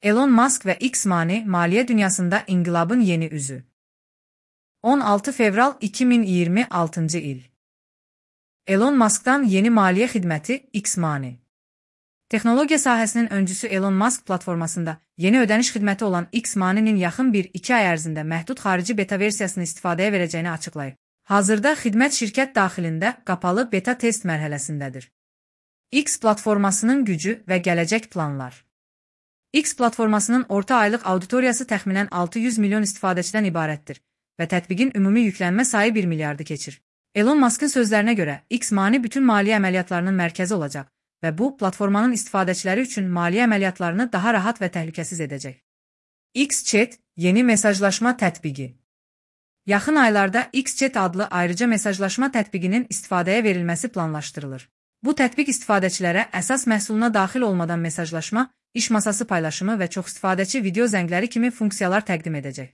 Elon Musk ve X Money, maliye dünyasında inqilabın yeni üzü. 16 fevral 2026 il. Elon Musk'dan yeni maliye xidməti X Money. Texnologiya sahəsinin öncüsü Elon Musk platformasında yeni ödəniş xidməti olan X Money'nin yaxın 1-2 ay ərzində məhdud xarici beta versiyasını istifadəyə verəcəyini açıqlayıb. Hazırda xidmət şirkət daxilində qapalı beta test mərhələsindədir. X platformasının gücü və gələcək planlar. X platformasının orta aylıq auditoriyası təxminən 600 milyon istifadəçidən ibarətdir və tətbiqin ümumi yüklənmə sayı 1 milyardı keçir. Elon Musk'ın sözlərinə görə X Money bütün maliyyə əməliyyatlarının mərkəzi olacaq və bu, platformanın istifadəçiləri üçün maliyyə əməliyyatlarını daha rahat və təhlükəsiz edəcək. X-Chat yeni mesajlaşma tətbiqi. Yaxın aylarda X-Chat adlı ayrıca mesajlaşma tətbiqinin istifadəyə verilməsi planlaşdırılır. Bu tətbiq istifadəçilərə əsas məhsuluna daxil olmadan mesajlaşma, iş masası paylaşımı və çox istifadəçi video zəngləri kimi funksiyalar təqdim edəcək.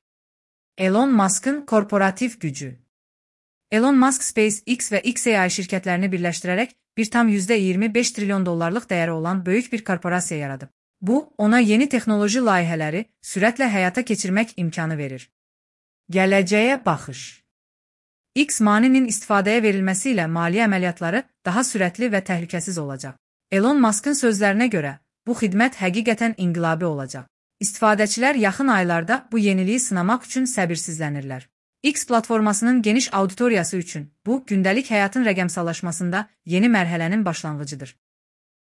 Elon Musk'ın korporativ gücü. Elon Musk SpaceX və XAI şirkətlərini birləşdirərək $1,25 trilyon dəyəri olan böyük bir korporasiya yaradıb. Bu, ona yeni texnoloji layihələri sürətlə həyata keçirmək imkanı verir. Gələcəyə baxış. X Money'nin istifadəyə verilməsi ilə maliyyə əməliyyatları daha sürətli və təhlükəsiz olacaq. Elon Musk'ın sözlərinə görə, bu xidmət həqiqətən inqilabi olacaq. İstifadəçilər yaxın aylarda bu yeniliyi sınamaq üçün səbirsizlənirlər. X platformasının geniş auditoriyası üçün bu, gündəlik həyatın rəqəmsallaşmasında yeni mərhələnin başlanğıcıdır.